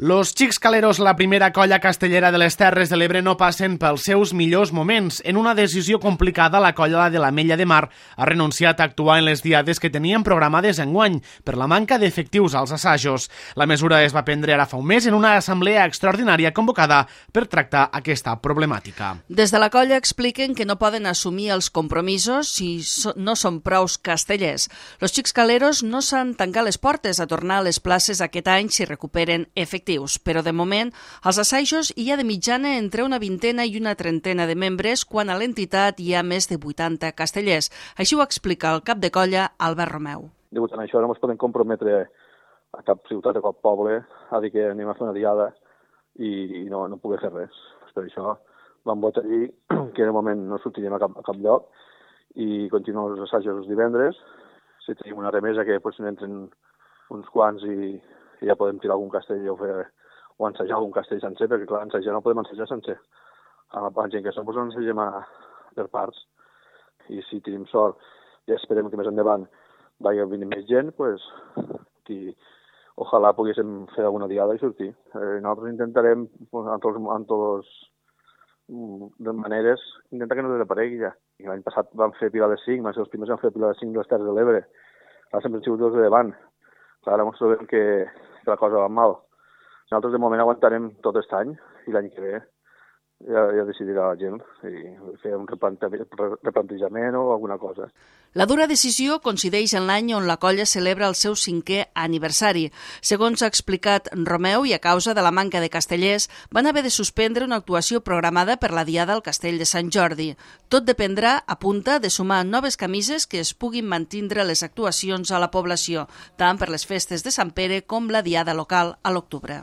Los Xics Caleros, la primera colla castellera de les Terres de l'Ebre, no passen pels seus millors moments. En una decisió complicada, la colla de l'Ametlla de Mar ha renunciat a actuar en les diades que tenien programades enguany per la manca d'efectius als assajos. La mesura es va prendre ara fa un mes en una assemblea extraordinària convocada per tractar aquesta problemàtica. Des de la colla expliquen que no poden assumir els compromisos si no són prous castellers. Los Xics Caleros no s'han tancat les portes a tornar a les places aquest any si recuperen efectius. Però de moment, als assajos hi ha de mitjana entre una vintena i una trentena de membres, quan a l'entitat hi ha més de 80 castellers. Així ho explica el cap de colla, Albert Romeu. Degut a això no ens podem comprometre a cap ciutat o cap poble a dir que anem a fer una diada i no poder fer res. Per això vam votar allí que de moment no sortirem a cap lloc i continuem els assajos els divendres. Si tenim una remesa que potser n'entren uns quants i ja podem tirar algun castell o ensajar algun castell sencer, perquè clar, ensajar no podem ensajar sencer. Amb la gent que som, doncs ensagem per parts. I si tenim sort i esperem que més endavant vagi venint més gent, doncs ojalà poguéssim fer alguna diada i sortir. Nosaltres intentarem, en totes les maneres, intentar que no desaparegui ja. L'any passat vam fer Pilar de Cinc, van ser els primers que van fer Pilar de Cinc de les Terres de l'Ebre. Ara sempre han sigut els de davant. Ara ens trobem que la cosa va mal. Nosaltres de moment aguantarem tot aquest any i l'any que ve ja decidirà la gent i fer un replantejament o alguna cosa. La dura decisió coincideix en l'any on la colla celebra el seu 5è aniversari. Segons ha explicat Romeu, i a causa de la manca de castellers, van haver de suspendre una actuació programada per la Diada al Castell de Sant Jordi. Tot dependrà, apunta, de sumar noves camises que es puguin mantindre les actuacions a la població, tant per les festes de Sant Pere com la Diada local a l'octubre.